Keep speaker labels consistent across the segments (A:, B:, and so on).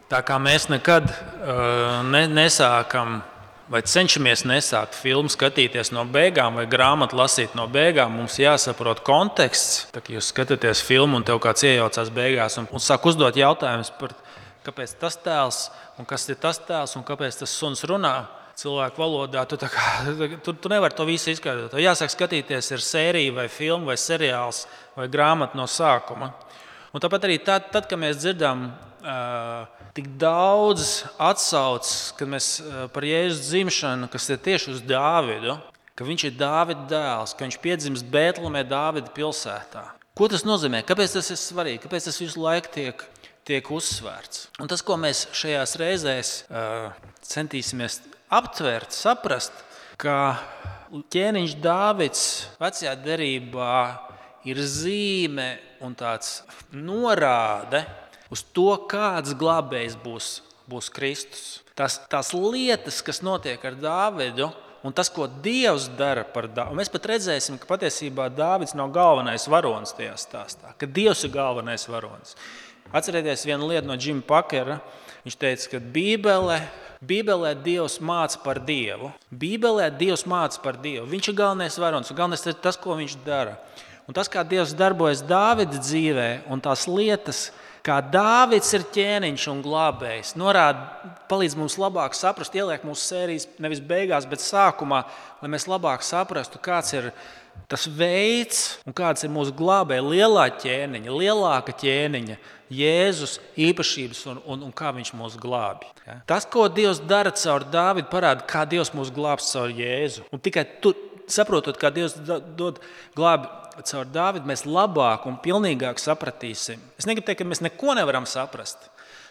A: Tā kā mēs nekad nesākam vai cenšamies nesākt filmu skatīties no beigām vai grāmatu lasīt no beigām, mums jāsaprot konteksts. Tā kā jūs skatāties filmu un tev kāds iejaucās beigās un sāk uzdot jautājumus par kāpēc tas tēls un kas ir tas tēls un kāpēc tas suns runā cilvēku valodā, tu nevari to visu izskaidrot. Tev jāsāk skatīties ir sērija vai filma vai seriāls vai grāmata no sākuma. Un tāpat arī tad, kad mēs dzirdam tik daudz atsauces, kad mēs par Jēzus dzimšanu, kas ir tieši uz Dāvidu, ka viņš ir Dāvida dēls, ka viņš piedzimst Bētlemē Dāvida pilsētā. Ko tas nozīmē? Kāpēc tas ir svarīgi? Kāpēc tas visu laiku tiek uzsvērts? Un tas, ko mēs šajās reizēs centīsimies aptvert, saprast, ka ķēniņš Dāvids vecajā derībā ir zīme un tāds norāde uz to, kāds glābējs būs Kristus. Tās lietas, kas notiek ar Dāvidu, un tas, ko Dievs dara par Dāvidu. Mēs pat redzēsim, ka patiesībā Dāvids nav galvenais varonis tajā stāstā, ka Dievs ir galvenais varonis. Atcerieties vienu lietu no Džima Pakera. Viņš teica, ka Bībelē Dievs māca par Dievu. Bībelē Dievs māca par Dievu. Viņš ir galvenais varonis, un galvenais ir tas, ko viņš dara. Un tas, kā Dievs darbojas Dāvida dzīvē, un tās lietas, kā Dāvids ir ķēniņš un glābējs, palīdz mums labāk saprast, ieliek mūsu sērijas nevis beigās, bet sākumā, lai mēs labāk saprastu, kāds ir tas veids un kāds ir mūsu glābēja lielāka ķēniņa, Jēzus īpašības un kā viņš mūs glābi. Ja? Tas, ko Dievs dara caur Dāvidu, parāda, kā Dievs mūs glābs caur Jēzu. Un tikai saprotot, kā Dievs dod glābi caur Dāvidu, mēs labāk un pilnīgāk sapratīsim. Es negribu teikt, ka mēs neko nevaram saprast,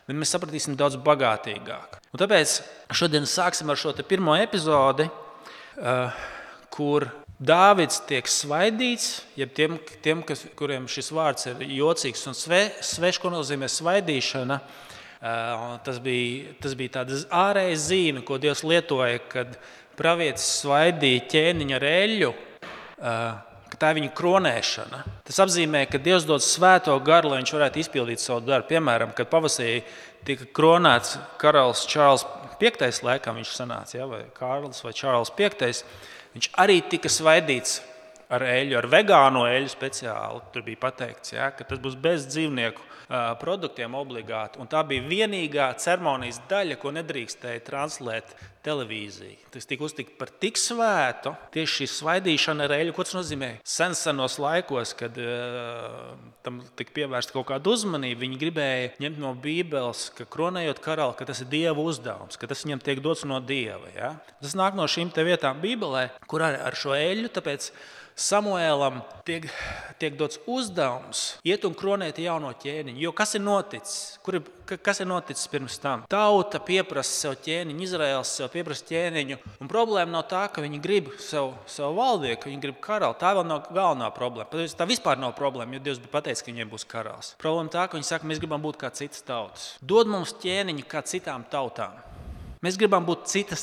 A: bet mēs sapratīsim daudz bagātīgāk. Un tāpēc šodien sāksim ar šo pirmo epizodi, kur Dāvids tiek svaidīts, jeb tiem kuriem šis vārds ir jocīgs un svešs, ko nozīmē svaidīšana. Tas bija tāda ārēja zīme, ko Dievs lietoja, kad pravietis svaidīja ķēniņa ar eļļu, ka tā ir viņa kronēšana. Tas apzīmē, ka Dievs dod svēto garu, lai viņš varētu izpildīt savu darbu. Piemēram, kad pavasarī tika kronēts karalis Čārls V, laikam viņš sanāca, vai Kārlis vai Čārls V, viņš arī tika svaidīts ar eļļu, ar vegāno eļļu speciāli. Tur bija pateikts, ka tas būs bez dzīvnieku produktiem obligāti. Un tā bija vienīgā ceremonijas daļa, ko nedrīkstēja translēt televīzija. Tas tika uztikt par tik svētu, tieši šī svaidīšana ar eļļu. Ko tas nozīmē? Senos laikos, kad tam tika pievērsta kaut kāda uzmanība, viņi gribēja ņemt no Bībeles, ka kronējot karali, ka tas ir Dieva uzdevums, ka tas viņam tiek dots no Dieva. Ja? Tas nāk no šīm te vietām Bībelē, kur ar šo eļļu, tāpēc Samuēlam tiek dots uzdevums iet un kronēt jauno ķēniņu. Jo kas ir noticis? Kas ir noticis pirms tam? Tauta pieprasa sev ķēniņu, Izraēls sev pieprasa ķēniņu. Un problēma nav tā, ka viņi grib savu valdnieku, ka viņi grib karali. Tā vēl nav galvenā problēma. Tā vispār nav problēma, jo Dievs bija pateicis, ka viņiem būs karalis. Problēma tā, ka viņi saka, mēs gribam būt kā citas tautas. Dod mums ķēniņu kā citām tautām. Mēs gribam būt citas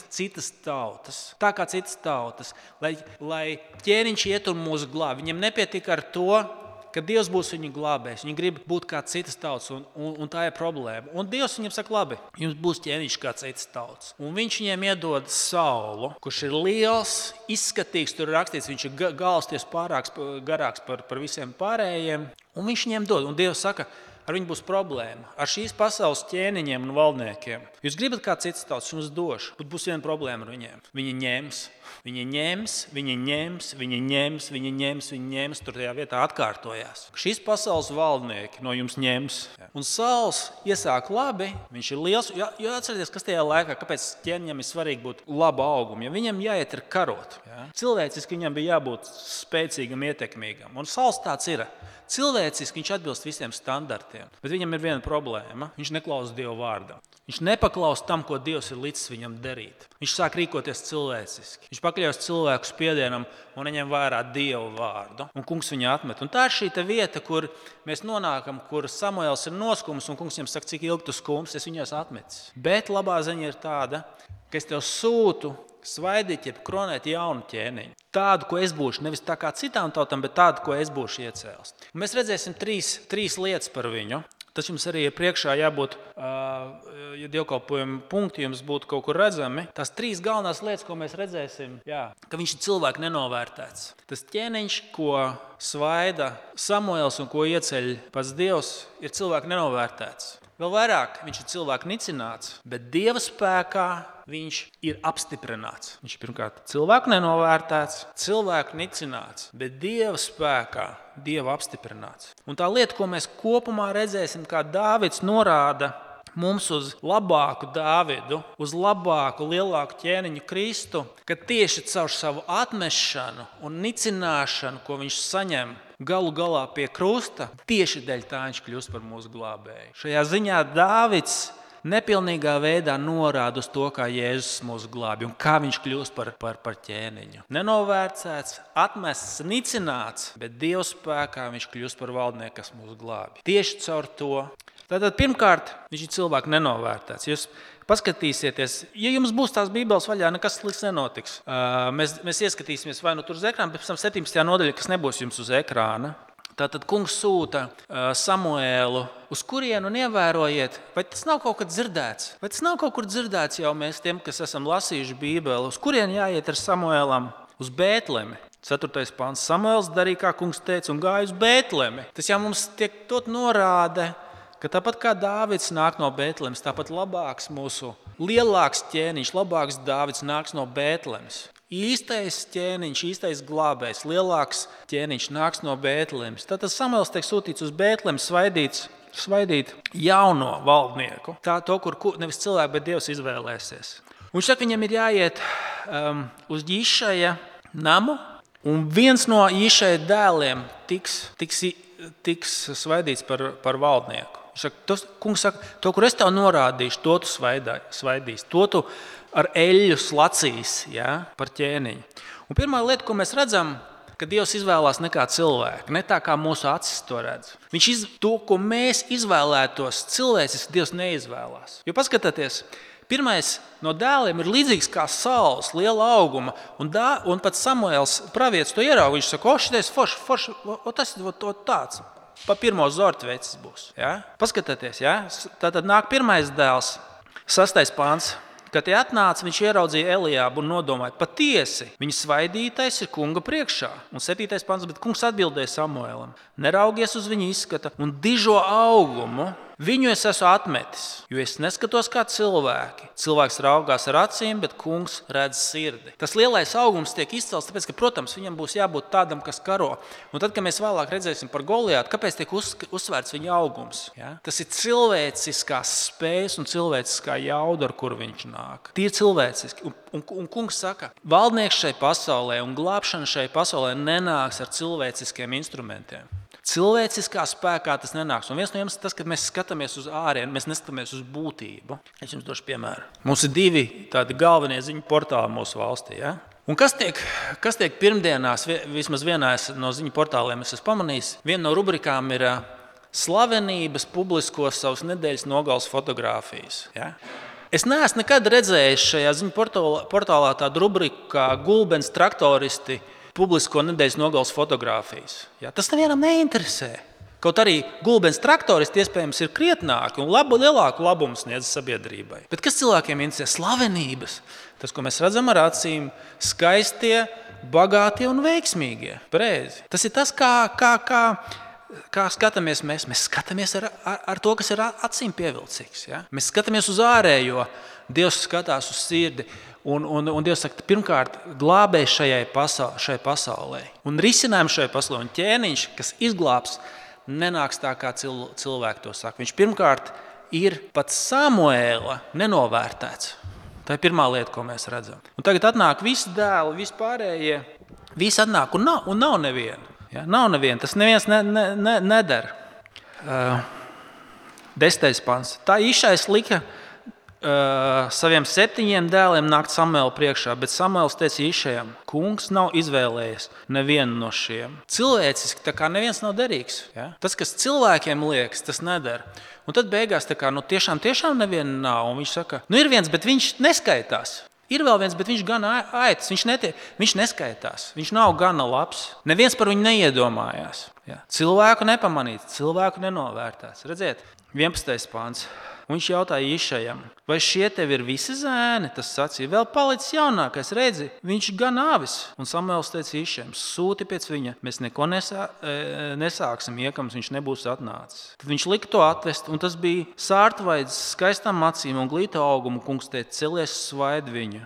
A: tautas, tā kā citas tautas, lai ķēniņš iet un mūs glāb. Viņam nepietiek ar to, ka Dievs būs viņu glābējs. Viņi grib būt kā citas tautas, un tā ir problēma. Un Dievs viņam saka, labi, jums būs ķēniņš kā citas tautas. Un viņš viņiem iedod Saulu, kurš ir liels, izskatīgs, tur ir rakstīts, viņš ir galsties garāks par visiem pārējiem. Un viņš viņiem dod, un Dievs saka, ar viņu būs problēma. Ar šīs pasaules ķēniņiem un valdniekiem. Jūs gribat kā citas tautas, jums došu, bet būs viena problēma ar viņiem. Viņi ņems, tur tajā vietā atkārtojās. Šīs pasaules valdnieki no jums ņems. Un Sauls iesāk labi, viņš ir liels, jo atcerieties, kas tajā laikā, kāpēc ķēniņam ir svarīgi būt laba auguma, ja viņam jāiet ir karot. Ja? Cilvēciski viņam bija jābūt spēcīgam, ietekmīgam. Un Sauls tāds ir. Cilvēciski viņš atbilst visiem standartiem, bet viņam ir viena problēma. Viņš neklausa Dieva vārdam. Viņš nepaklausa tam, ko Dievs ir licis viņam darīt. Viņš sāk rīkoties cilvēciski. Viņš pakļaus cilvēku spiedienam un neņem vērā Dieva vārdu. Un kungs viņu atmet. Un tā ir šī vieta, kur mēs nonākam, kur Samuēls ir noskums un kungs viņam saka, cik ilgi tu skums, es viņus atmetis. Bet labā ziņa ir tāda, ka es tev sūtu svaidīt, jeb kronēt jaunu ķēniņu. Tādu, ko es būšu, nevis tā kā citām tautām, bet tādu, ko es būšu iecēlis. Un mēs redzēsim trīs lietas par viņu. Tas jums arī ir priekšā jābūt dievkalpojuma punkti jums būtu kaut kur redzami, tās 3 galvenās lietas, ko mēs redzēsim, ka viņš ir cilvēku nenovērtēts. Tas ķēniņš, ko svaida Samuēls un ko ieceļ pats Dievs, ir cilvēku nenovērtēts. Vēl vairāk, viņš ir cilvēku nicināts, bet Dieva spēkā viņš ir apstiprināts. Viņš ir pirmkārt cilvēku nenovērtēts, cilvēku nicināts, bet Dieva spēkā, Dieva apstiprināts. Un tā lieta, ko mēs kopumā redzēsim, kā Dāvids norāda mums uz labāku Dāvidu, uz labāku, lielāku ķēniņu Kristu, ka tieši caur savu atmešanu un nicināšanu, ko viņš saņem galu galā pie krusta, tieši dēļ tā viņš kļūst par mūsu glābēju. Šajā ziņā Dāvids nepilnīgā veidā norāda uz to, kā Jēzus mūs glābj un kā viņš kļūst par ķēniņu. Nenovērtēts, atmests, nicināts, bet Dieva spēkā viņš kļūst par valdnieku, kas mūs glābj. Tieši caur to. Tātad pirmkārt, viņš ir cilvēku nenovērtēts. Jūs paskatīsieties, ja jums būs tās Bībeles vaļā, nekas slikts nenotiks. Mēs ieskatīsimies vai nu tur uz ekrāna, pēc tam 17. nodaļa, kas nebūs jums uz ekrāna. Tātad kungs sūta Samuēlu, uz kurienu un ievērojiet, vai tas nav kaut kad dzirdēts? Vai tas nav kaut kur dzirdēts jau mēs tiem, kas esam lasījuši Bībeli? Uz kurienu jāiet ar Samuēlam? Uz Bētlemi. 4. pants. Samuēls darīja, kā kungs teica, un gāja uz Bētlemi. Tas jau mums tiek tot norāde, ka tāpat kā Dāvids nāk no Bētlemes, tāpat labāks mūsu lielāks ķēniņš, labāks Dāvids nāks no Bētlemes. Īstais ķēniņš, īstais glābējs, lielāks ķēniņš nāks no Bētlemes. Tātad Samuēls tiek sūtīts uz Bētlemi svaidīt jauno valdnieku. Tā to, kur nevis cilvēki, bet Dievs izvēlēsies. Un viņš saka, viņam ir jāiet uz Jišaja namu, un viens no Jišaja dēliem tiks svaidīts par valdnieku. Kungs saka, to, kur es tev norādīšu, to tu svaidīsi, to tu ar eļļu slacīs par ķēniņu. Un pirmā lieta, ko mēs redzam, ka Dievs izvēlās ne kā cilvēku, ne tā kā mūsu acis to redz. To, ko mēs izvēlētos, cilvēciski Dievs neizvēlās. Jo paskatieties, pirmais no dēliem ir līdzīgs kā saules, liela auguma, un pat Samuēls pravietis to ierauga. Viņš saka, šitais forši, tas ir tāds. Pa pirmo zortu vecis būs. Ja? Paskatieties, tātad nāk pirmais dēls, 6. pāns. Kad tie atnāca, viņš ieraudzīja Eliābu un nodomāja, patiesi, viņa svaidītais ir kunga priekšā. Un 7. pāns, bet kungs atbildēja Samuēlam, neraugies uz viņa izskata un dižo augumu. Viņu es esmu atmetis, jo es neskatos kā cilvēki. Cilvēks raugās ar acīm, bet kungs redz sirdi. Tas lielais augums tiek izcelts, tāpēc, ka, protams, viņam būs jābūt tādam, kas karo. Un tad, kad mēs vēlāk redzēsim par Goliātu, kāpēc tiek uzsvērts viņa augums? Ja? Tas ir cilvēciskās spējas un cilvēciskā jauda, ar kuru viņš nāk. Tie ir cilvēciski. Un kungs saka, valdnieks šai pasaulē un glābšana šai pasaulē nenāks ar cilvēciskiem instrumentiem. Cilvēciskā spēkā tas nenāks. Un viens no jums ir tas, ka mēs skatāmies uz ārienu, mēs neskatāmies uz būtību. Es jums došu piemēru. Mums ir 2 tādi galvenie ziņu portāli mūsu valstī. Ja? Un kas tiek pirmdienās, vismaz vienā no ziņu portāliem es esmu pamanījis, viena no rubrikām ir slavenības publisko savas nedēļas nogales fotogrāfijas. Ja? Es neesmu nekad redzējis šajā ziņu portālā tādu rubriku kā Gulbens traktoristi publisko nedēļas nogales fotogrāfijas. Ja, tas nevienam neinteresē. Kaut arī Gulbens traktoristi iespējams ir krietnāki un lielāku labumu sniedz sabiedrībai. Bet kas cilvēkiem interesē? Slavenības. Tas, ko mēs redzam ar acīm, skaistie, bagātie un veiksmīgie. Pareizi. Tas ir tas, kā skatāmies mēs. Mēs skatāmies ar to, kas ir acīm pievilcīgs. Ja? Mēs skatāmies uz ārējo. Dievs skatās uz sirdi. Un Dievs saka, pirmkārt, glābēs šai pasaulē. Un risinājums šai pasaulē. Un ķēniņš, kas izglābs, nenāks tā, kā cilvēki to saka. Viņš pirmkārt ir pat Samuēla nenovērtēts. Tā ir pirmā lieta, ko mēs redzam. Un tagad atnāk visi dēli, visi pārējie. Visi atnāk un nav neviena. Ja? Nav neviena. Tas neviens nedara. 10. pants. Tā Išais lika saviem 7 dēliem nākt Samuēla priekšā, bet Samuēls teica Išajam, kungs nav izvēlējies nevienu no šiem. Cilvēciski tā kā neviens nav derīgs. Ja? Tas, kas cilvēkiem liekas, tas nedara. Un tad beigās tā kā, tiešām neviena nav. Un viņš saka, ir viens, bet viņš neskaitās. Ir vēl viens, bet viņš gan aitas, viņš neskaitās. Viņš nav gana labs. Neviens par viņu neiedomājās. Ja? Cilvēku nepamanīts, cilvēku nenovērtēts. Redziet, 11. pāns. Un viņš jautāja Išajam, vai šie tev ir visi zēni? Tas sacīja, vēl palicis jaunākais, redzi, viņš gan avis. Un Samuēls teica Išajam, sūti pēc viņa, mēs neko nesāksim, iekams viņš nebūs atnācis. Tad viņš lika to atvest, un tas bija sārtvaids, skaistām acīm un glīta augumu. Kungs teica, celies, svaidi viņu,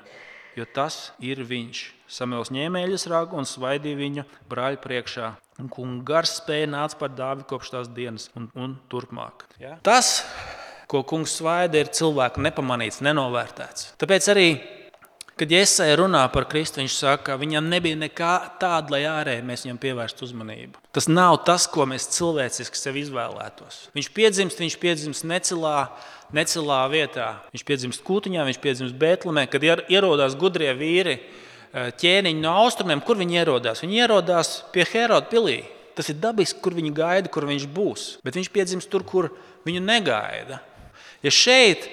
A: jo tas ir viņš. Samuēls ņēma eļas ragu un svaidīja viņu brāļu priekšā. Un kunga gars spēja nāca par Dāvidu kopš tās dienas un turpmāk. Ja? Tas, ko kungs svaida, ir cilvēku nepamanīts, nenovērtēts. Tāpēc arī, kad Jesaja runā par Kristu, viņš saka, ka viņam nebija nekā tāda, lai ārēji mēs viņam pievērstu uzmanību. Tas nav tas, ko mēs cilvēciski sev izvēlētos. Viņš piedzimst necilā vietā. Viņš piedzimst Kūtiņā, viņš piedzimst Bētlemē, kad ierodās gudrie vīri, ķēniņi no austrumiem, kur viņi ierodās? Viņi ierodās pie Heroda pilī. Tas ir dabiski, kur viņi gaida, kur viņš būs. Bet viņš piedzimst tur, kur viņu negaida. Ja šeit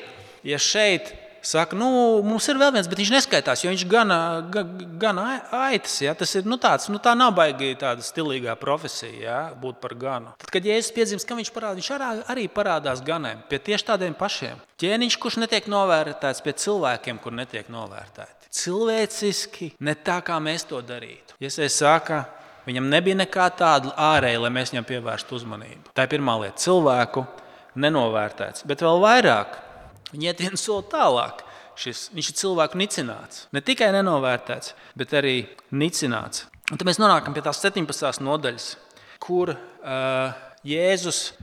A: saka, mums ir vēl viens, bet viņš neskaitās, jo viņš gana aitas. Ja? Tas ir tā nav baigi tāda stilīgā profesija, ja? Būt par ganu. Tad, kad Jēzus piedzimst, kam viņš parādās? Viņš arī parādās ganiem, pie tieši tādiem pašiem. Ķēniņš, kurš netiek novērtēts, pie cilvēkiem, kur netiek novērtēti. Cilvēciski, ne tā, kā mēs to darītu. Iesaja saka, viņam nebija nekā tāda ārēja, lai mēs viņam pievērstu uzmanību. Tā ir pirmā lieta. Cilvēku nenovērtēts. Bet vēl vairāk, viņi iet vienu soli tālāk. Viņš ir cilvēku nicināts. Ne tikai nenovērtēts, bet arī nicināts. Un tad mēs nonākam pie tās 17. nodaļas, kur Jēzus,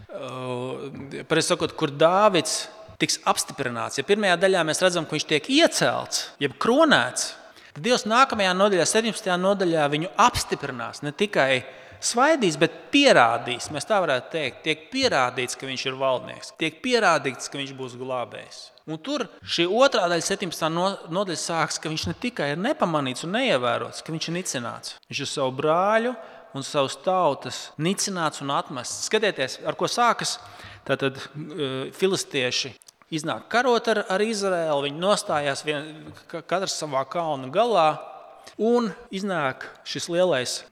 A: kur Dāvids tiks apstiprināts. Ja pirmajā daļā mēs redzam, ka viņš tiek iecelts, jeb kronēts, tad Dievs nākamajā nodaļā, 17. nodaļā, viņu apstiprinās. Ne tikai svaidīs, bet pierādīs. Mēs tā varētu teikt. Tiek pierādīts, ka viņš ir valdnieks. Tiek pierādīts, ka viņš būs glābējs. Un tur šī otrā daļa, 17. nodaļa sāks, ka viņš ne tikai ir nepamanīts un neievērots, ka viņš ir nicināts. Viņš ir savu brāļu un savas tautas nicināts un atmests. Skatieties, ar ko sākas. Tātad filistieši iznāk karot ar Izraēlu, viņi nostājās katrs savā kalna galā, un iznāk šis lielais,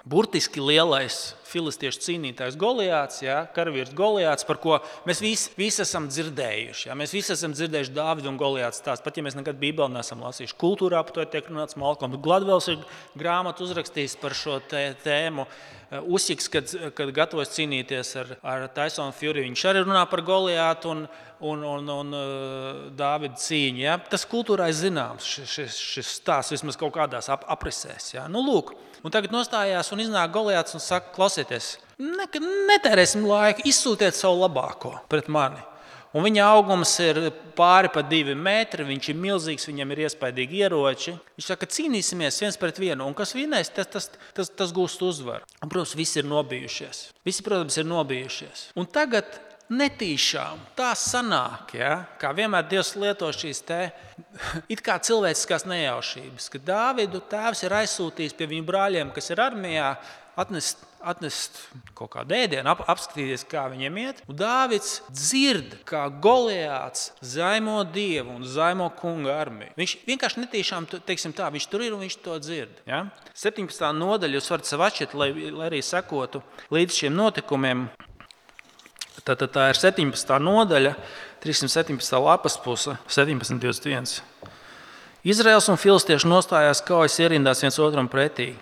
A: burtiski lielais filistiešu cīnītājs Goliāts, ja, karavīrs Goliāts, par ko mēs visi esam dzirdējuši. Ja, mēs visi esam dzirdējuši Dāvidu un Goliāts stāstu, pat ja mēs nekad Bībeli neesam lasījuši. Kultūrā par to tiek runāts, Malcolms Gladwells ir grāmatu uzrakstījis par šo tēmu. Usiks, kad gatavojas cīnīties ar Tysonu Fury, viņš arī runā par Goliātu un Dāvidu cīņu. Ja? Tas kultūrā ir zināms, šis stāsts vismaz kaut kādās aprisēs. Ja? Lūk, un tagad nostājās un iznāk Goliāts un saka, klausieties, netērēsim laiku, izsūtiet savu labāko pret mani. Un viņa augums ir pāri pa 2 metri, viņš ir milzīgs, viņam ir iespaidīgi ieroči. Viņš saka, cīnīsimies viens pret vienu, un kas vinēs, tas gūst uzvaru. Un, protams, visi ir nobijušies. Un tagad netīšām tā sanāk, ja? Kā vienmēr Dievs lieto šīs it kā cilvēciskās nejaušības, ka Dāvidu tēvs ir aizsūtījis pie viņu brāļiem, kas ir armijā, atnest kaut kādu ēdienu, apskatīties, kā viņiem iet. Un Dāvids dzird, kā Goliāts zaimo Dievu un zaimo kunga armiju. Viņš vienkārši netīšām, teiksim tā, viņš tur ir un viņš to dzird. Ja? 17. nodaļa, jūs varat sev atšķirt, lai arī sekotu līdz šiem notikumiem. Tā ir 17. nodaļa, 317. lapas puse, 17.21. Izraels un filistieši nostājās kaujas ierindās viens otram pretī.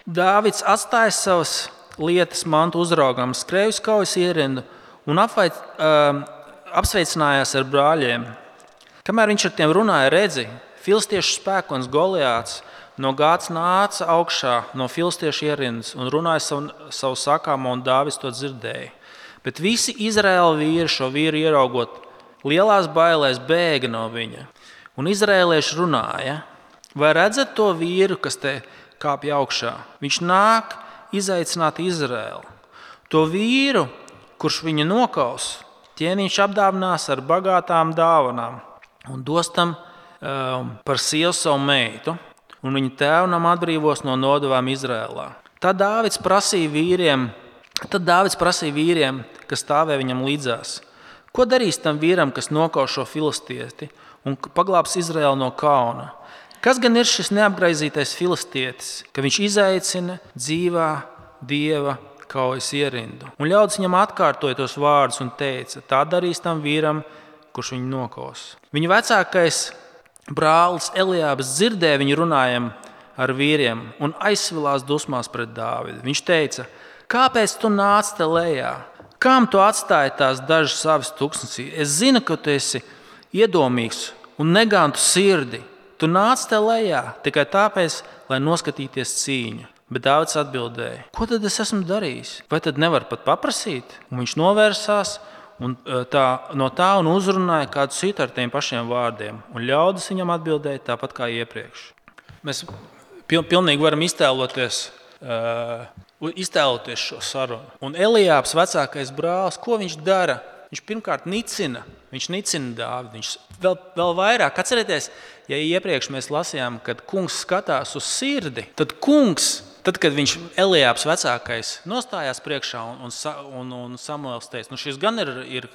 A: Dāvids atstāja savas lietas mantu uzraugam, skrēja uz kaujas ierindu un apsveicinājās ar brāļiem. Kamēr viņš ar tiem runāja, redzi, filistiešu spēkonis Goliāts no Gāts nāca augšā no filistiešu ierindas un runāja savu sakāmo, un Dāvids to dzirdēja. Bet visi Izraēla vīri šo vīru ieraugot, lielās bailēs bēga no viņa. Un izraēlieši runāja, vai redzat to vīru, kas te kāpj augšā? Viņš nāk izaicināt Izraēlu. To vīru, kurš viņu nokaus, ķēniņš apdāvinās ar bagātām dāvanām un dos tam par sievu savu meitu, un viņa tēvnam atbrīvos no nodevām Izraēlā. Tad Dāvids prasīja vīriem, kas stāvēja viņam līdzās. Ko darīs tam vīram, kas nokaus šo filistieti un paglābs Izraēlu no kauna? Kas gan ir šis neapgraizītais filistietis, ka viņš izaicina dzīvā Dieva kaujas ierindu. Un ļaudis viņam atkārtoja tos vārdus un teica, tā darīs tam vīram, kurš viņu nokos. Viņa vecākais brālis Eliābs dzirdēja viņu runājam ar vīriem un aizsvilās dusmās pret Dāvidu. Viņš teica, kāpēc tu nāc te lejā? Kām tu atstāji tās dažas savas tuksnesī? Es zinu, ka tu esi iedomīgs un negantu sirdi. Tu nāc te lejā tikai tāpēc, lai noskatīties cīņu. Bet Dāvids atbildēja, ko tad es esmu darījis? Vai tad nevar pat paprasīt? Un viņš novērsās no tā un uzrunāja kādu citu ar tiem pašiem vārdiem. Un ļaudis viņam atbildēja tāpat kā iepriekš. Mēs pilnīgi varam iztēloties šo sarunu. Un Eliābs, vecākais brālis, ko viņš dara? Viņš pirmkārt nicina Dāvidu. Viņš vēl vairāk. Atcerieties, ja iepriekš mēs lasījām, kad kungs skatās uz sirdi, tad, kad viņš Eliābs vecākais nostājās priekšā un Samuēls teica, šis gan ir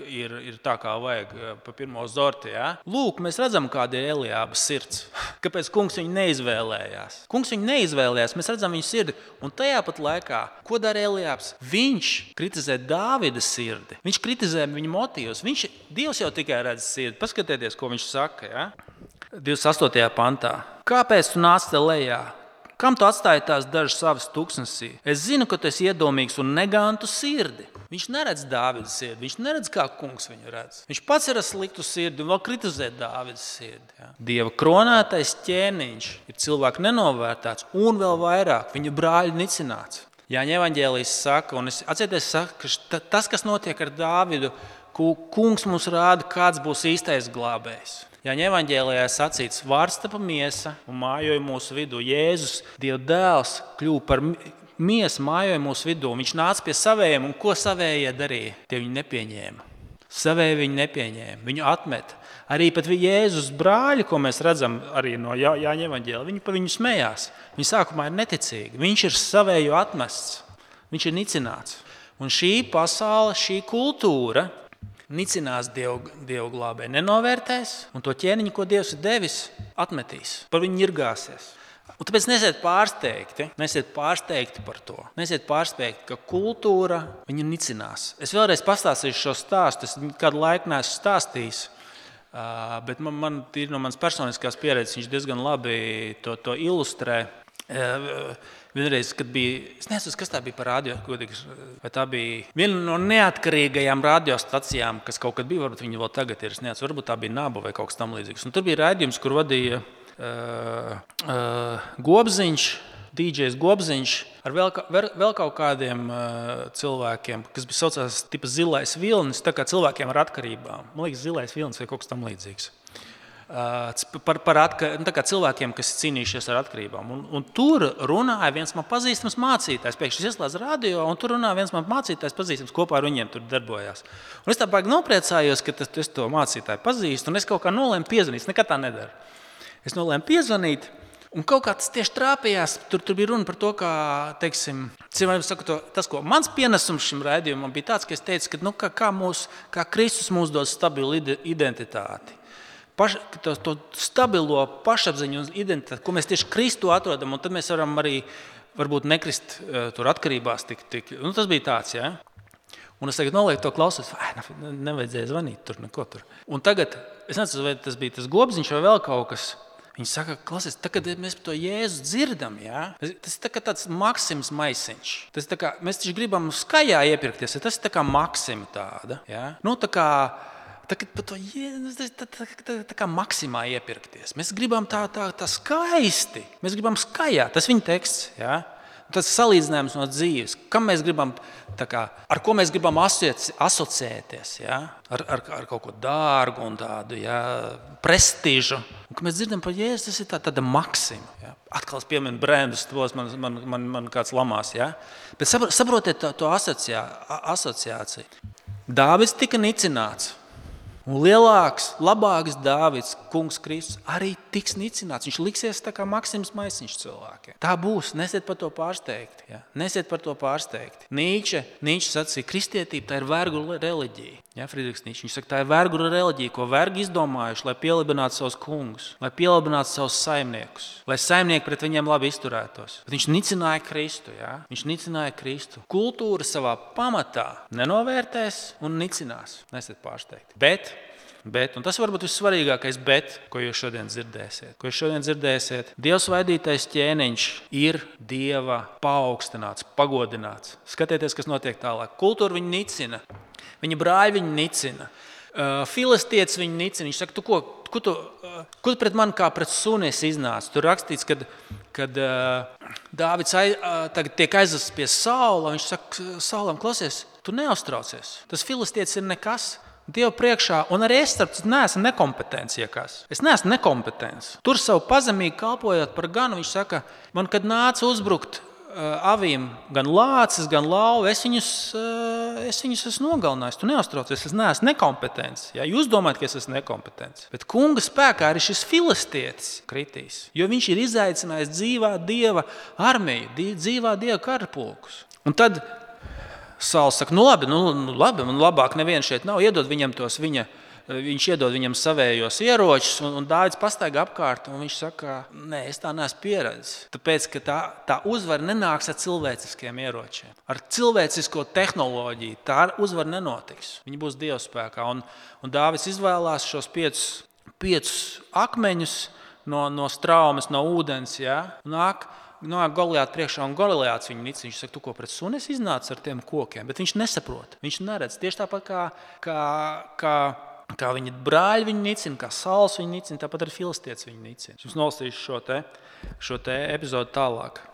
A: tā, kā vajag pa pirmo zorti. Ja? Lūk, mēs redzam, kāda ir Eliāba sirds. Kāpēc kungs viņu neizvēlējās? Kungs viņu neizvēlējās, mēs redzam viņu sirdi. Un tajā pat laikā, ko dara Eliābs? Viņš kritizē Dāvida sirdi. Viņš kritizē viņa motīvus. Dievs jau tikai redz sirdi. Paskatieties, ko viņš saka. Ja? 28. pantā. Kāpēc tu nāc te lejā? Kam tu atstāji tās dažas savas tuksnesī? Es zinu, ka tu esi iedomīgs un negantu sirdi. Viņš neredz Dāvida sirdi, viņš neredz, kā kungs viņu redz. Viņš pats ir sliktu sirdi un vēl kritizē Dāvida sirdi. Ja? Dieva kronētais ķēniņš ir cilvēku nenovērtēts un vēl vairāk viņa brāļi nicināts. Jāņa evaņģēlijs saka, un ka tas, kas notiek ar Dāvidu, kungs mums rāda, kāds būs īstais glābējs. Jāņa evaņģēlijā sacīts, vārds tapa miesa un mājoja mūsu vidū. Jēzus, Dieva dēls, kļuva par miesu, mājoja mūsu vidū. Viņš nāca pie savējiem, un ko savējie darīja? Tie viņu nepieņēma. Savēji viņu nepieņēma, viņu atmeta. Arī pat Jēzus brāļi, ko mēs redzam arī no Jāņa evaņģēlijā, viņi par viņu smējās. Viņi sākumā ir neticīgi. Viņš ir savēju atmests. Viņš ir nicināts. Un šī pasaule, šī kultūra nicinās Dievu glābēju, nenovērtēs, un to ķēniņu, ko Dievs ir devis, atmetīs. Par viņu ņirgāsies. Un tāpēc nesiet pārsteigti par to. Nesiet pārsteigti, ka kultūra viņu nicinās. Es vēlreiz pastāstīšu šo stāstu. Es kādu laiku neesmu stāstījis, bet man ir no manas personiskās pieredzes, viņš diezgan labi to ilustrē. Vienreiz, kad bija, es nezinu, kas tā bija par radio, vai tā bija viena no neatkarīgajām radiostacijām, kas kaut kad bija, varbūt viņi vēl tagad ir, es nezinu, varbūt tā bija Naba vai kaut kas tam līdzīgs. Un tur bija raidījums, kur vadīja Gobziņš, DJs Gobziņš, ar vēl kaut kādiem cilvēkiem, kas bija saucās tipa zilais vilnis, tā kā cilvēkiem ar atkarībām. Man liekas, zilais vilnis vai kaut kas tam līdzīgs. Par cilvēkiem, kas ir cīnījušies ar atkarībām. Un tur runāja viens man pazīstams mācītājs. Pēkšņi ieslēdz radio, un tur runāja viens man mācītājs pazīstams, kopā ar viņiem tur darbojās. Un es tā baigi nopriecājos, ka es to mācītāju pazīstu, un es kaut kā nolēmu piezvanīt. Es nekad tā nedaru. Es nolēmu piezvanīt, un kaut kā tas tieši trāpījās. Tur bija runa par to, kā, teiksim, tas, ko mans pienesums šim raidījumam bija tāds, ka es teicu, ka kā Kristus mums dod stabilu identitāti. To stabilo pašapziņu un identitāti, ko mēs tieši Kristu atrodam, un tad mēs varam arī varbūt nekrist tur atkarībās. Tas bija tāds, ja? Un es tagad nolieku to klausos, nevajadzēja zvanīt tur, neko tur. Un tagad, es nezinu, vai tas bija tas Gobziņš vai vēl kaut kas, viņi saka, klausies, kad mēs par to Jēzu dzirdam, ja? Tas ir tāds Maksims Maisiņš. Mēs taču gribam skajā iepirkties, tas ir tā kā Maksima tāda, ja? Tā kā Maksimā iepirkties. Mēs gribam tā skaisti. Mēs gribam skajā. Tas viņa teksts. Ja? Tas salīdzinājums no dzīves. Ar ko mēs gribam asociēties. Ja? Ar kaut ko dārgu un tādu prestižu. Un, kad mēs dzirdam par Jēzu, tas ir tāda Maksima. Ja? Atkal es pieminu brendus, man kāds lamās. Ja? Bet saprotiet to asociāciju. Dāvids tika nicināts. Un lielāks, labāks Dāvids, kungs Kristus, arī tiks nicināts. Viņš liksies tā kā Maksims Maisiņš cilvēkiem. Tā būs, nesiet par to pārsteigti. Ja? Nesiet par to pārsteigti. Nīče sacīja, kristietība tā ir vergu reliģija. Ja, Friedrichs Nīče, viņš saka, tā ir vergu reliģija, ko vergi izdomājuši, lai pielibinātu savus kungus, lai pielibinātu savus saimniekus, lai saimnieki pret viņiem labi izturētos. Bet viņš nicināja Kristu. Ja? Viņš nicināja Kristu. Kultūra savā pamatā nenovērtēs un nicinās. Nesiet pārsteigti. Bet, un tas varbūt vissvarīgākais bet, ko jūs šodien dzirdēsiet. Dieva svaidītais ķēniņš ir Dieva paaugstināts, pagodināts. Skatieties, kas notiek tālāk. Kultūra viņu nicina, viņa brāļi viņu nicina, filistietis viņu nicina. Viņš saka, ko tu pret mani kā pret suni esi iznācis? Tur rakstīts, kad Dāvids tagad tiek aizvests pie Saula, viņš saka, Saulam, klausies, tu neuztraucies. Tas filistietis ir nekas. Dievu priekšā, un arī es neesmu nekompetents. Es neesmu nekompetents. Tur savu pazemīgi kalpojot par ganu, viņš saka, man, kad nāca uzbrukt avīm gan lācis, gan lauvi, es viņus esmu nogalinājis. Tu neuztraucies, es neesmu nekompetents. Ja, jūs domājat, ka es esmu nekompetents. Bet kunga spēkā arī šis filistietis kritīs, jo viņš ir izaicinājis dzīvā Dieva armiju, dzīvā Dieva karapulkus. Un tad Sauls saka, labi, man labāk neviens šeit nav, iedod viņam viņš iedod viņam savējos ieročus, un Dāvids pastaigā apkārt, un viņš saka, nē, es tā neesmu pieredzis, tāpēc, ka tā uzvara nenāks ar cilvēciskiem ieročiem. Ar cilvēcisko tehnoloģiju tā uzvara nenotiks, viņi būs Dieva spēkā, un Dāvids izvēlās šos piecus akmeņus no straumes, no ūdens, ja, nāk Goliāta priekšā, un Goliāts viņu nicina. Viņš saka, tu ko pret suni esi iznācis ar tiem kokiem, bet viņš nesaprot, viņš neredz. Tieši tāpat kā viņa brāļi viņu nicina, kā Sauls viņu nicina, tāpat arī filistietis viņu nicina. Es jums nolasīšu šo te epizodu tālāk.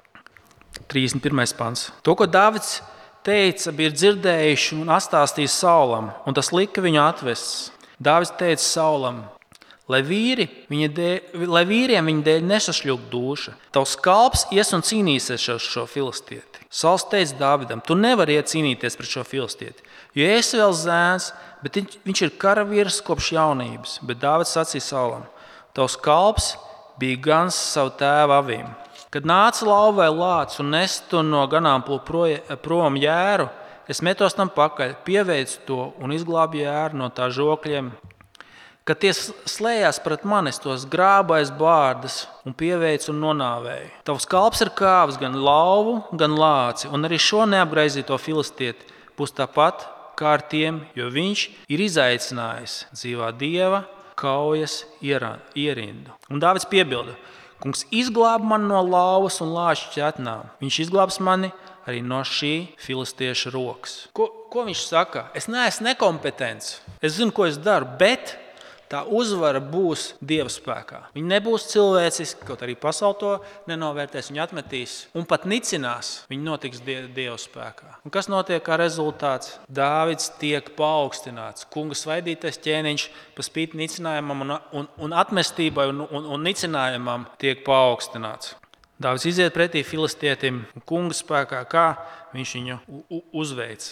A: 31. pants. To, ko Dāvids teica, bija dzirdējuši un atstāstījis Saulam, un tas lika viņu atvests. Dāvids teica Saulam, lai vīriem viņa dēļ nesašļūk duša. Tavs kalps ies un cīnīsies ar šo filistieti. Sauls teica Dāvidam, tu nevari iet cīnīties pret šo filistieti, jo esi vēl zēns, bet viņš ir karavīrs kopš jaunības. Bet Dāvids sacīja Saulam, tavs kalps bija gans savu tēva avīm. Kad nāca lauva vai lācis un nestu no ganāmpulka prom jēru, es metos tam pakaļ, pieveicu to un izglābu jēru no tā žokļiem. Kad tie slējās pret mani, es tos grābu aiz bārdas un pieveicu un nonāvēju. Tavs kalps ir kāvis gan lauvu, gan lāci, un arī šo neapgraizīto filistieti būs tāpat kā ar tiem, jo viņš ir izaicinājis dzīvā Dieva kaujas ierindu. Un Dāvids piebilda, kungs izglāb mani no lauvas un lāču ķetnām. Viņš izglābs mani arī no šī filistieša rokas. Ko viņš saka? Es neesmu nekompetents. Es zinu, ko es daru, bet tā uzvara būs Dieva spēkā. Viņa nebūs cilvēciska, kaut arī pasaule to nenovērtēs, viņa atmetīs un pat nicinās. Viņa notiks Dieva spēkā. Un kas notiek kā rezultāts? Dāvids tiek paaugstināts. Kunga svaidītais ķēniņš pa spīti nicinājumam un atmestībai un nicinājumam tiek paaugstināts. Dāvids iziet pretī filistietim un kunga spēkā, kā viņš viņu uzveic.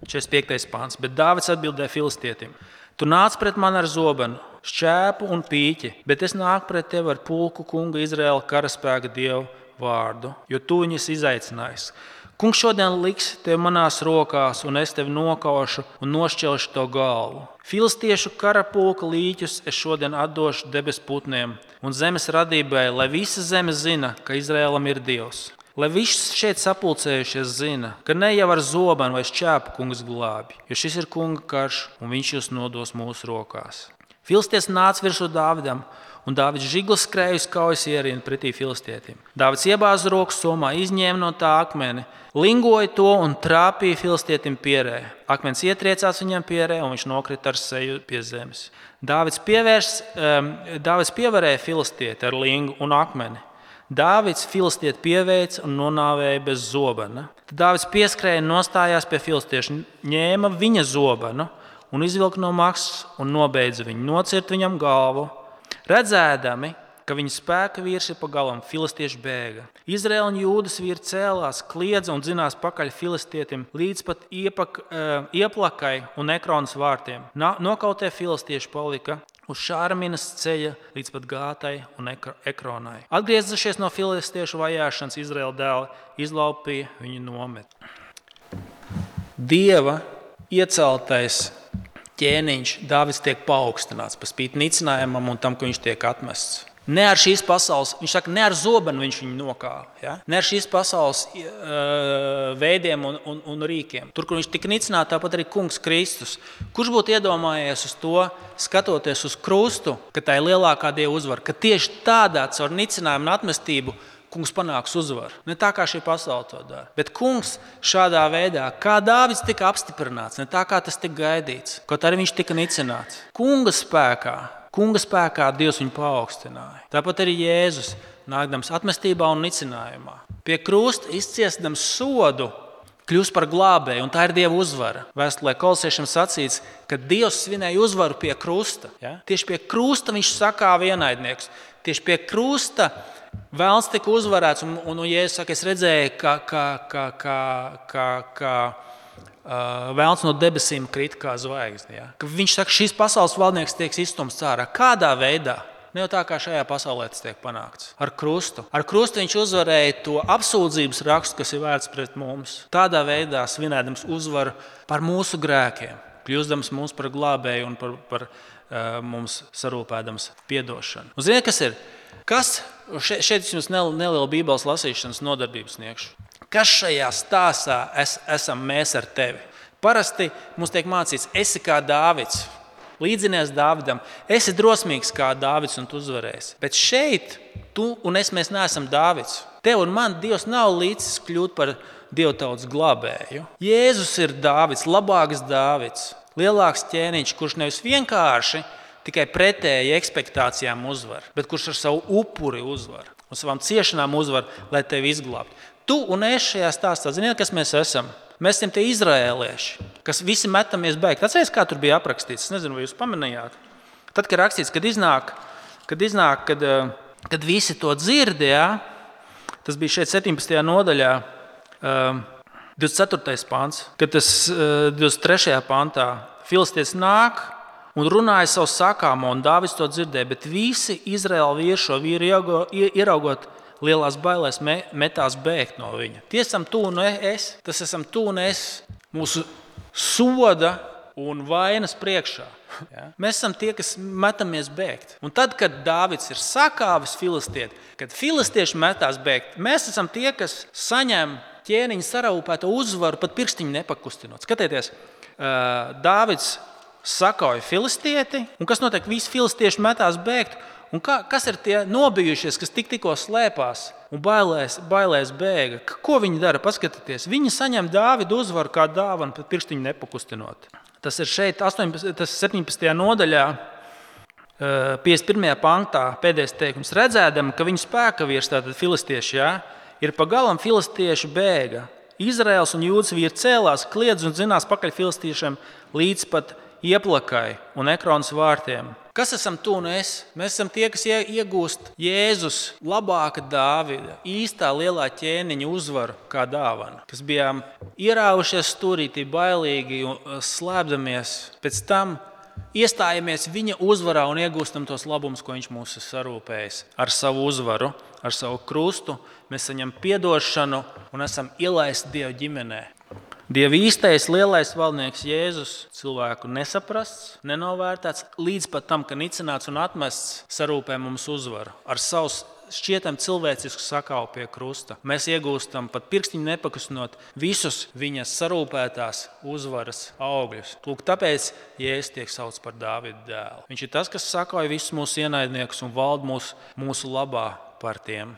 A: 45. pāns. Bet Dāvids atbildēja filistietim. Tu nāc pret mani ar zobenu, šķēpu un pīķi, bet es nāku pret tevi ar pulku kunga Izraēla karaspēka Dievu vārdu, jo tu viņus izaicinājis. Kungs šodien liks tevi manās rokās, un es tevi nokaušu un nošķelšu to galvu. Filistiešu karapulka līķus es šodien atdošu debes putniem un zemes radībai, lai visa zeme zina, ka Izraēlam ir Dievs. Lai viss šeit sapulcējušies zina, ka ne jau ar zobenu vai šķēpu kungs glābi, jo šis ir kunga karš un viņš jūs nodos mūsu rokās. Filistietis nāca virsū Dāvidam, un Dāvids žiglis skrēja uz kaujas ierindu pretī filistietim. Dāvids iebāza roku somā, izņēma no tā akmeni, lingoja to un trāpīja filistietim pierē. Akmens ietriecās viņam pierē, un viņš nokrita ar seju pie zemes. Dāvids pievarēja filistieti ar lingu un akmeni. Dāvids filistieti pieveica un nonāvēja bez zobena. Tad Dāvids pieskrēja un nostājās pie filistieša, ņēma viņa zobenu un izvilka no maksas un nobeidza viņu, nocirt viņam galvu. Redzēdami, ka ka viņa spēka vīrs ir pagalam, filistieši bēga. Izraēla un Jūdas vīri cēlās, kliedza un dzinās pakaļ filistietim līdz pat Ieplakai un Ekronas vārtiem. Nokautie filistieši palika uz Šārminas ceļa līdz pat Gātai un Ekronai. Atgriezušies no filistiešu vajāšanas, Izraēla dēli izlaupīja viņu nometni. Dieva ieceltais ķēniņš Dāvids tiek paaugstināts par spīti nicinājumam un tam, ka viņš tiek atmests. Ne ar šīs pasaules, viņš saka, ne ar zobenu viņš viņu nokāva. Ja? Ne ar šīs pasaules veidiem un rīkiem. Tur, kur viņš tika nicināts, tāpat arī kungs Kristus. Kurš būtu iedomājies uz to, skatoties uz krustu, ka tā ir lielākā Dieva uzvara, ka tieši tādā caur nicinājumu un atmestību kungs panāks uzvaru. Ne tā, kā šī pasaule to dara. Bet kungs šādā veidā, kā Dāvids tika apstiprināts, ne tā, kā tas tika gaidīts, kaut arī viņš tika nicināts. Kunga spēkā Dievs viņu paaugstināja. Tāpat arī Jēzus, nākdams atmestībā un nicinājumā. Pie krusta izciestams sodu, kļūst par glābēju, un tā ir Dieva uzvara. Vēstulē Kolosiešiem sacīts, ka Dievs svinēja uzvaru pie krusta. Ja? Tieši pie krusta viņš sakāva ienaidnieks. Tieši pie krusta Vēlns tika uzvarēts, un Jēzus saka, es redzēju, ka vēlns no debesīm krita kā zvaigzne. Ja? Viņš saka, šīs pasaules valdnieks tiek izstumts ārā. Kādā veidā? Ne jau tā, kā šajā pasaulē tas tiek panākts. Ar krustu. Ar krustu viņš uzvarēja to apsūdzības rakstu, kas ir vērts pret mums. Tādā veidā svinēdams uzvaru par mūsu grēkiem, kļūstams mums par glābēju un par mums sarūpēdams piedošanu. Un ziniet, kas ir? Šeit jums neliela Bībeles lasīšanas nodarbības sniegšu. Kas šajā stāstā esam mēs ar tevi? Parasti mums tiek mācīts, esi kā Dāvids, līdzinies Dāvidam, esi drosmīgs kā Dāvids un tu uzvarēsi. Bet šeit tu un mēs neesam Dāvids. Tev un man Dievs nav līdzis kļūt par dievtautas glābēju. Jēzus ir Dāvids, labāks Dāvids, lielāks ķēniņš, kurš nevis vienkārši tikai pretēji ekspektācijām uzvar, bet kurš ar savu upuri uzvar un savām ciešanām uzvar, lai tevi izglābtu. Tu un es šajā stāstā, ziniet, kas mēs esam? Mēs esam tie izraēlieši, kas visi metamies bēgt. Atceries, kā tur bija aprakstīts? Es nezinu, vai jūs pamanījāt. Tad, kad rakstīts, kad visi to dzird, ja, tas bija šeit 17. nodaļā, 24. pants, kad tas 23. pantā filistietis nāk un runāja savu sakāmo, un Dāvids to dzirdēja, bet visi Izraēla vīri šo vīru ieraugot lielās bailēs metās bēgt no viņa. Tie esam tu un es, tas esam tu un es mūsu soda un vainas priekšā. Ja? Mēs esam tie, kas metamies bēgt. Un tad, kad Dāvids ir sakāvis filistieti, kad filistieši metās bēgt, mēs esam tie, kas saņem ķēniņa sarūpēto uzvaru, pat pirkstiņu nepakustinot. Skatieties, Dāvids sakauja filistieti, un kas notiek? Visi filistieši metās bēgt. Un kas ir tie nobijušies, kas tikko slēpās un bailēs bēga? Ko viņi dara? Paskatieties, viņi saņem Dāvidu uzvaru kā dāvanu, pat pirkstiņu nepakustinot. Tas ir šeit 17. nodaļā, 51. pantā, pēdējais teikums. Redzēdam, ka viņu spēka vīrs, tātad filistieši, ir pagalam filistieši bēga. Izraēls un Jūdas vīri cēlās, kliedz un dzinās pakaļ filistiešiem līdz pat Ieplakai un Ekronas vārtiem. Kas esam tu un es? Mēs esam tie, kas iegūst Jēzus labāka Dāvida, īstā lielā ķēniņa uzvaru kā dāvana. Kas bijām ierāvušies stūrītī, bailīgi un slēpdamies. Pēc tam iestājamies viņa uzvarā un iegūstam tos labumus, ko viņš mūs ir sarūpējis. Ar savu uzvaru, ar savu krustu mēs saņem piedošanu un esam ielaisti Dieva ģimenē. Dieva īstais lielais valdnieks Jēzus cilvēku nesaprasts, nenovērtēts, līdz pat tam, ka nicināts un atmests, sarūpē mums uzvaru. Ar savu šķietam cilvēcisku sakāvu pie krusta. Mēs iegūstam pat pirkstiņu nepakustinot visus viņas sarūpētās uzvaras augļus. Lūk, tāpēc Jēzus tiek saukts par Dāvida dēlu. Viņš ir tas, kas sakauja visus mūsu ienaidniekus un valda mūsu labā par tiem.